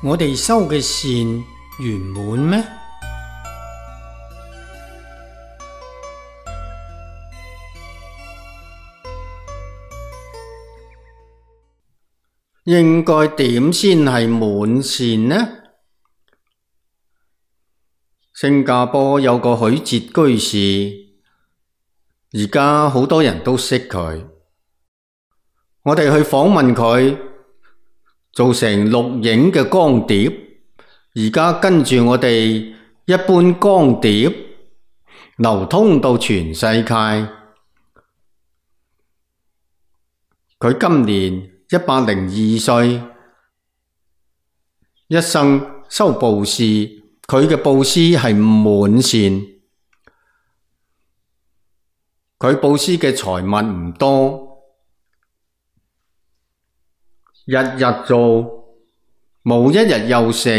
我哋修嘅善圓滿咩？應該點先係滿善呢？新加坡有個許哲居士，而家好多人都識佢。我哋去訪問佢，做成錄影嘅光碟，而家跟住我哋一般光碟流通到全世界。佢今年102歲，一生修布施，佢嘅布施係滿善。佢布施嘅財物唔多，日日做，冇一日休息。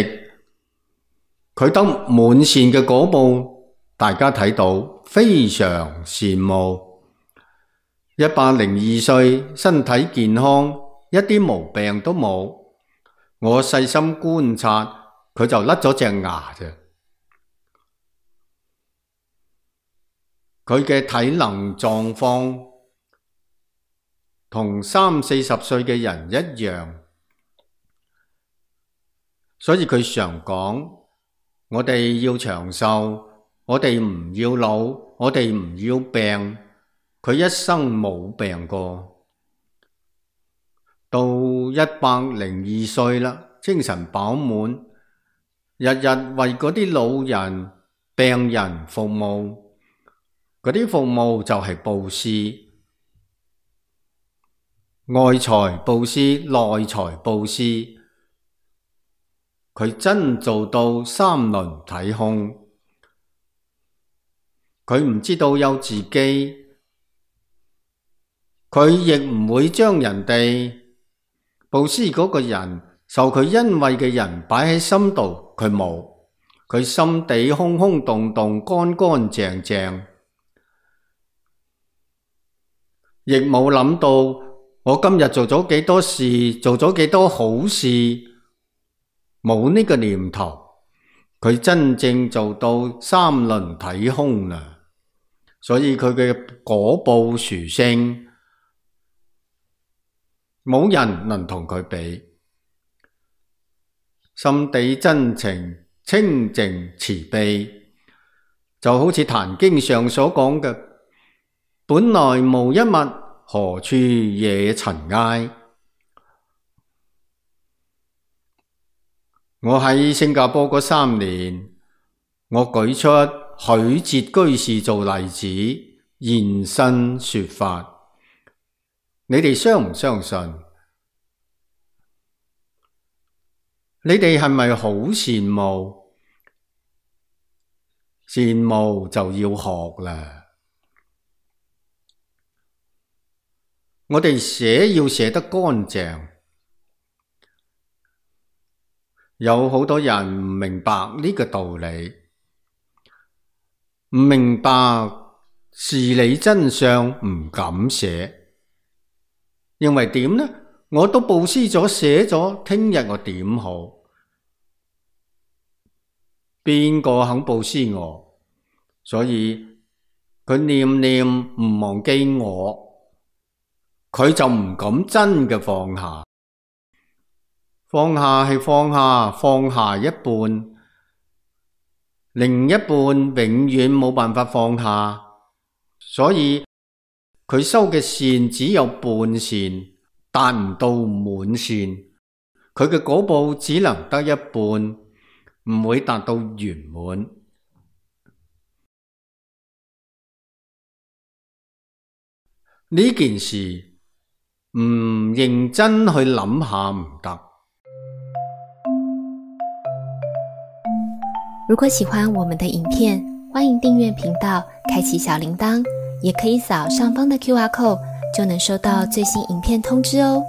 佢得滿善嘅果報，大家睇到非常羨慕。102歲，身體健康，一啲毛病都冇。我細心觀察，佢就甩咗隻牙啫。佢嘅體能狀況同30-40歲嘅人一樣，所以佢常講：我哋要長壽，我哋唔要老，我哋唔要病。佢一生冇病過，到102歲啦，精神飽滿，日日為嗰啲老人、病人服務，嗰啲服務就係布施，外財布施、內財布施，佢真做到三輪體空。佢唔知道有自己，佢亦唔會將人哋布施嗰個人受佢恩惠嘅人擺喺心度，佢冇，佢心地空空洞洞、乾乾淨淨，亦冇諗到我今日做咗幾多事，做咗幾多好事，冇呢個念頭。佢真正做到三輪體空啦，所以佢嘅果報殊勝，冇人能同佢比。心地真情、清淨慈悲，就好似《壇經》上所講嘅：本來無一物，何處惹塵埃。我喺新加坡嗰3年，我舉出許哲居士做例子，現身說法。你哋相唔相信？你哋係咪好羨慕？羨慕就要學啦。我哋寫要寫得乾淨。有好多人唔明白呢個道理，唔明白事理真相，唔敢寫。認為點呢？我都布施咗，寫咗，聽日我點好？邊個肯布施我？所以佢念念唔忘記我，佢就唔敢真嘅放下。放下係放下，放下一半，另一半永遠冇辦法放下。所以佢修嘅善只有半善，達唔到滿善。佢嘅果報只能得一半，唔會達到圓滿。呢件事唔認真去諗下唔得。如果喜歡我們的影片，歡迎訂閱頻道，開啟小鈴鐺，也可以掃上方的QR code，就能收到最新影片通知哦。